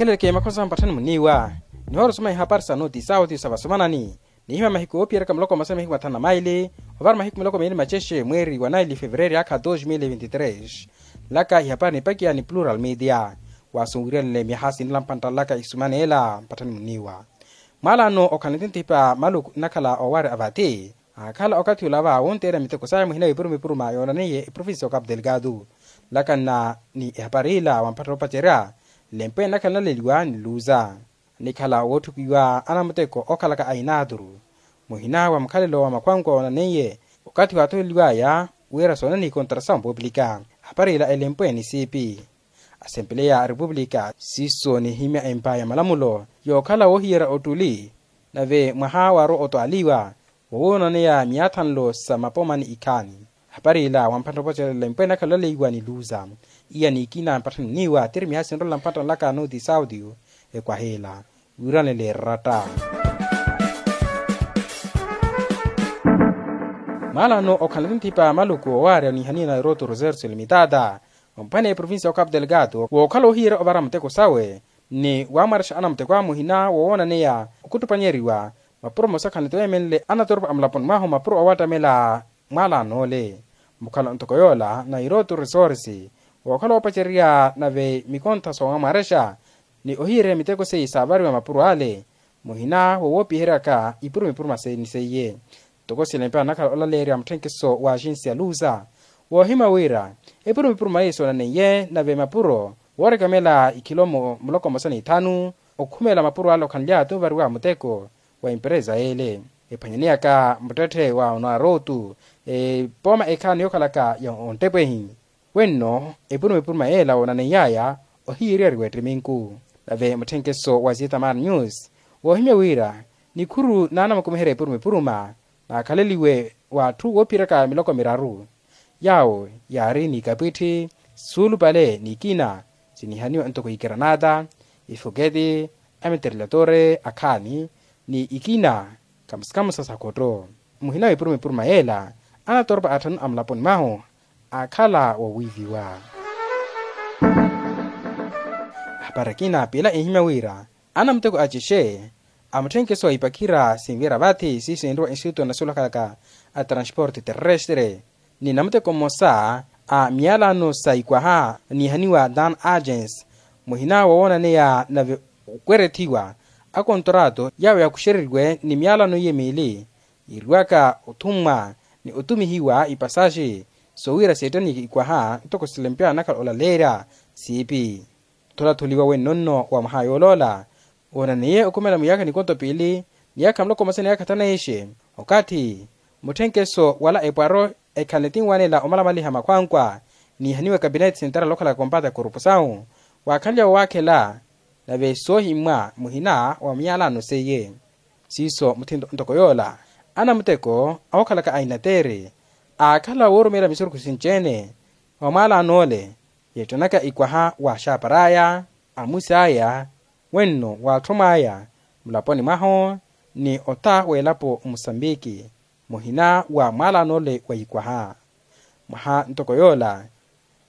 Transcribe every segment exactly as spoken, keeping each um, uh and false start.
Kheleleke makhosa mpatthani muniiwa nihoora osoma ihapari sa noti sauti sa vasomanani. Nihima mahiku oopiyeraka muloko masana mahiku mathanu na maili ovara mahiku miloko miili macexe mweeri wa naili fevereeri akha dos mil vinti tres. Nlaka ihapari nipakiya ni plural media. Wasunwiryanle myaha sinrela mpantta nlaka ihisumaneela mpatthani muniiwa. Mwalano okhala nitinthipa maluku nnakhala owaari avati aakhala okathi olava wonteerya miteko saya muhina wipurumipuruma yoonaneiye eprovinsi ya okapu delgado. Nlakanna ni ehapari ila wa mpatthani oopacerya nlempo enakhala naleliwa ni luza nikhala wootthukiwa anamuteko okhalaka a inaturu. Muhina wa mukhalelo wa makhwankwa woonaneiye okathi waatholeliwaya wira soonaneiye ikontra sa ompuuplika. Ehapari ila elempo enisipi asempeleya a repupulika siiso nihimya empa ya malamulo yookhala woohiyerya ottuli. Nave mwaha waarowa otwaaliwa wowoonaneya myaathanlo sa mapoma ni ikhaani. Hapari ila wa mpatthani oopacerya elempo enakhala olaleiwa ni luza iya ni ikina mpatthani muniiwa tiri myaha sinrolela mpatthani nlaka noti sauti ekwaha ila wiiranele eratta. Mwalano okhala nitinthipa maluku owaarya onihaniye na eroto roserso limitada ompwaneye provinsi ya okapu delgado wookhala ohiyerya ovara muteko sawe ni wamwarexa anamuteko a muhina wowoonaneya okuttupanyeeriwa mapuro mosa khanlete weemenle anatoropa a mulaponi mwahu mapuro owattamela. Mwalano ole mukhala ntoko yoola na iroto resorsi wookhala woopacererya nave mikontha soowamwarexa ni ohiyererya miteko seiye saavariwa mapuro ale muhina wowoopiheryaka ipuruma ipuruma seiye ni seiye. Ntoko silempe anakhala olaleerya mutthenkeso wa axinsi ya luza woohimya wira epuruma ipuruma eyi soonaneiye nave mapuro woorekamela ikhilomo muloko mmosa ni ithanu okhumela mapuro ale okhanly'ato ovariwa muteko wa emperesa ele ephwanyaneyaka muttetthe wa onaarotu epooma ekhaani yookhalaka ya onttepehi. Wenno epuruma epuruma yeela woonaneiy'aya ohiyeryeriwa ettiminku. Nave mutthenkeso wa zitamar news woohimya wira nikhuru naanamukumiherya epuruma epuruma naakhaleliwe w'atthu woophiyeryaka miloko miraru yaawo yaari ni ikapwitthi suulupale n'ikina sinihaniwa ntoko ikeranata ifoketi ameterilatore akhaani ni ikina kamusikamusa sa khotto. Muhina w'epuruma epuruma yeela anatoropa atthanu a mulaponi mwahu aakhala wowiiviwa. Ahapari akina piila enhimya wira anamuteko a cexe a mutthenkeso wa ipakhira sinvira vathi siiso enriwa instituto nasolakhalaka a transporte terrestre ni namuteko mmosa a miyalano sa ikwaha niihaniwa dan agens muhina wowoonaneya nave okwerethiwa akontrato yaawo yakuxereriwe ni miyalano iye miili yiiriwaka othummwa ni otumihiwa ipasaxi soowira seettanike ikwaha ntoko silempe anakhala olaleerya siipi. Tholatholiwa wennonno wa mwaha yooloola woonaneiye okhumela mwiyaakha nikonto piili niyaakha muloko mmosa niyaakha thanu na ixe okathi mutthenkeso wala epwaro ekhanle tinwanela omalamaliha makhwankwa niihaniwa ekapineti sentarali okhalaka kompata ya korupusawu waakhanlya wowaakhela nave soohimmwa muhina wa miyalano seiye. Siiso muthinto ntoko yoola anamuteko awokhalaka a inatere aakhala woorumeela misurukhu sinci-ene wa mwalaan'ole yeettanaka ikwaha wa axaapar'aya amus'aya wenno w'atthu mw'aya mulaponi mwahu ni ota w'elapo musambiki muhina wa mwalaan'ole wa ikwaha. Mwaha ntoko yoola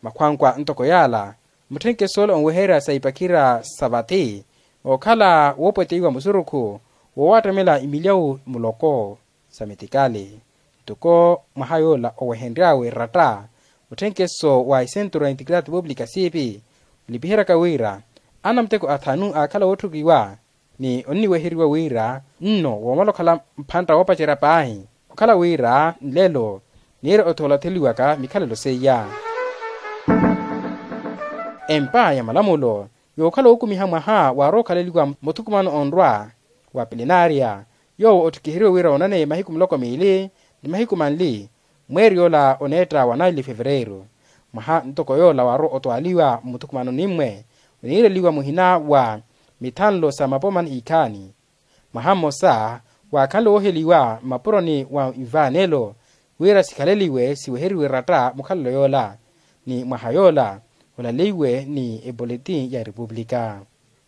makhwankwa ntoko yaala mutthenkeso ole onweherya sa ipakhira sa vathi ookhala woopweteiwa musurukhu woowattamela imilyawu muloko sa metikali. Ntoko mwaha yoola owehenry'awe ratta mutthenkeso wa isentro ya integridade publica siipi olipiheryaka wira anamuteko athanu aakhala wootthukiwa ni onniweheriwa wira nno woomala okhala mphantta woopacerya paahi okhala wira nlelo niire otholatheliwaka mikhalelo seiya. Empa ya malamulo yookhala wookumiha mwaha waarowa okhaleliwa muthukumano onrwa wa plenaria yoowo otthikiheriwe wira woonaneye mahiku muloko miili ni mahiku manli mweeri yoola oneetta wa naili fevereeru. Mwaha ntoko yoola waarowa otwaaliwa mmuthukumanoni mmwe oniireliwa muhina wa mithanlo sa mapoma ni ikhaani mwaha mmosa waakhanle wooheliwa mmapuroni wa ivaanelo wira sikhaleliwe siweheriwe ratta mukhalelo yoola ni mwaha yoola olaleiwe ni epoletin ya erepupulika.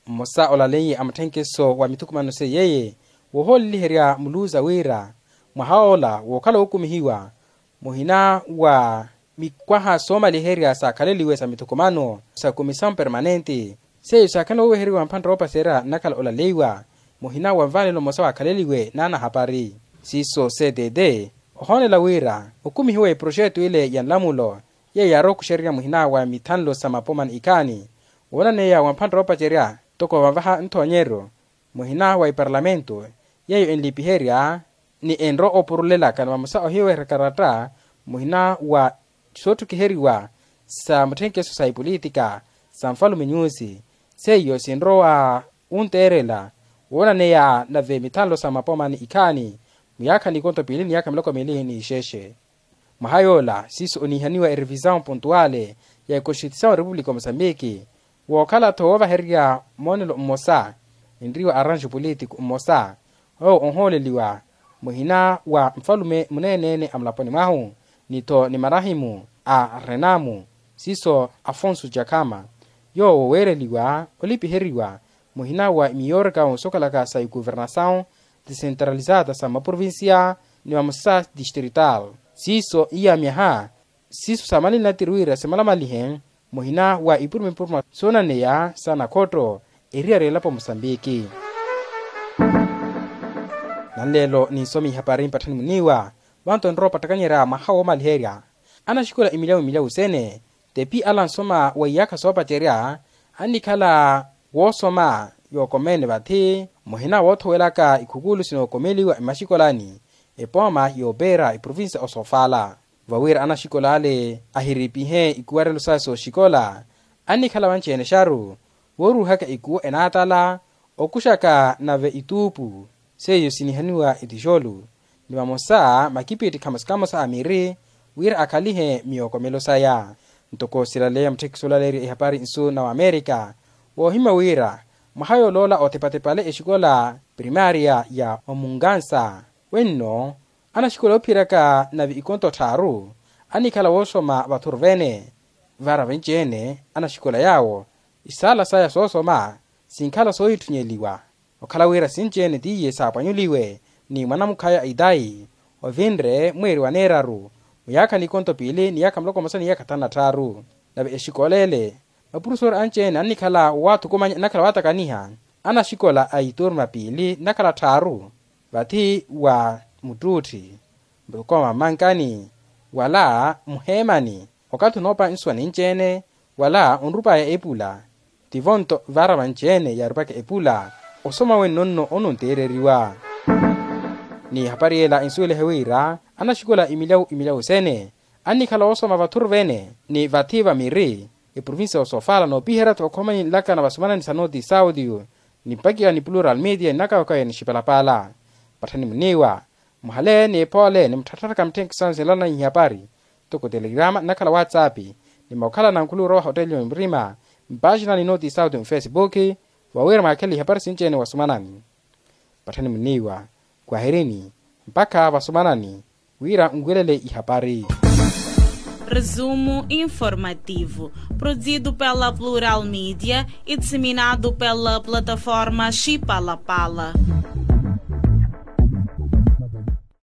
Mmosa olaleiye a mutthenkeso wa mithukumano seiyeye woohooleliherya muluza wira mwaha ola wookhala wookumihiwa muhina wa mikwaha soomaliherya saakhaleliwe sa mithukumano sa komisawu permanente Seiyo saakhala woweheriwa mphantta woopacerya nnakhala olaleiwa muhina wa nvaanelo mmosa waakhaleliwe n'anahapari. Siiso ctt ohoonela wira okumihiwa eproxeto ile ya nlamulo yeiyo yaarowa okuxererya muhina wa mithanlo sa mapoma ni ikhaani woonaneya wa mphantta woopacerya ntoko vanvaha nthoonyeryo muhina wa eparlamentu yeiyo enlipiherya ni enrowa opurulelaka ni vamosa ohiweherya karatta muhina wa sootthukhiheriwa sa mutthenkeso sa epolitika sa nfalume nyusi seiyo sinrowa wunteerela woonaneya nave mithanlo sa mapoma ni ikhaani muyaakha n'ikonto piili ni yaakha miloko miili n'ixexe. Mwaha yoola siiso oniihaniwa erevisawu pontuwale ya ekonstitusawu ya repupulika ya mosambiki wookhala-tho woovahererya moonelo mmosa enriwa arranjo politiku mmosa owo onhooleliwa muhina wa nfalume muneene-ene a mulaponi mwahu ni-tho ni marahimu a renamu siiso afonso jakhama yoowo weereliwa olipiheriwa muhina wa miyorka wonsokhalaka sa ikuvernasawu desentralizada sa maprovincia ni vamosa distrital siiso iyamyaha siiso saamalini natiri wira simalamalihe muhina wa ipuruma-ipuruma soonaneya sa nakhotto eriyari elapo mosambiki. Nanleelo ninsomi ihapari mpatthani muniiwa vanto nrowa opattakanyerya mwaha woomaliherya anaxikola imilyawu-imilyawu sene tepi ala ansoma wa iyaakha soopacerya annikhala woosoma yookomeene vathi muhina woothowelaka ikhukulu sinookomeliwa emaxikolani epooma yoopeera eprovinsiya osofaala vawira anaxikola ale ahiripihe ikuwarelo sawe sooxikola annikhala vanci-ene exaru wooruuhaka ikuwo enaatala okuxaka nave ituupu seiyo sinihaniwa etixolu ni vamosa makipittikha mosa kamosa a miri wira akhalihe miyookomelo saya. Ntoko silaleya mutthekisi olaleerya ihapari nsu na wamerika woohimya wira mwaha yooloola otepatepa ale exikola primaria ya omungansa wenno anaxikola oophiyeraka nave ikonto tthaaru annikhala woosoma vathuru vene vara venci-ene anaxikola yaawo isaala saya soosoma sinkhala soohitthunyeeliwa okhala wira sinci-ene tiye saapwanyuliwe ni mwanamukhaya itayi ovinre mweeri wa neeraru muyaakha n'ikonto piili ni yaakha muloko mmosa ni yaakha thanu na tthaaru nave exikola ele mapurofesori anci-ene annikhala waathukumanya nnakhala waatakaniha anaxikola a iturma piili nnakhala tthaaru vathi wa muttuutthi mukoma mmankani wala muheemani okathi onoopa nsuwa ninci-ene wala onrupaya epula tivo nto vara vanci-ene yaarupaka epula osoma wenno nno ononteereriwa. Ni ehapari ela ensuwelihe wira anaxikola imilyawu imilyawu sene annikhala woosoma vathuru vene ni vathi va miri eprovinsiya ya osofala noopiherya-tho okhomani nlakana vasumanani sa noti saudio ni mpakiwa ni plural media ni nakawakawe ni xipalapala. Patthani muniiwa muhale ni epoole ni mutthattharaka mitthenkisano sinlana ihapari ntoko telegrama nnakhala whatsapp ni mukhalana nkhuluwira wa hoteli ya murima mpaxina ni noti saudio mufesipuki vawira mwaakhele ihapari sinci-ene wasumanani. Patthani muniiwa kwahirini mpakha vasumanani wira nwiwelele ihapari. Resumo informativo, produzido pela Plural Media e disseminado pela plataforma Xipalapala.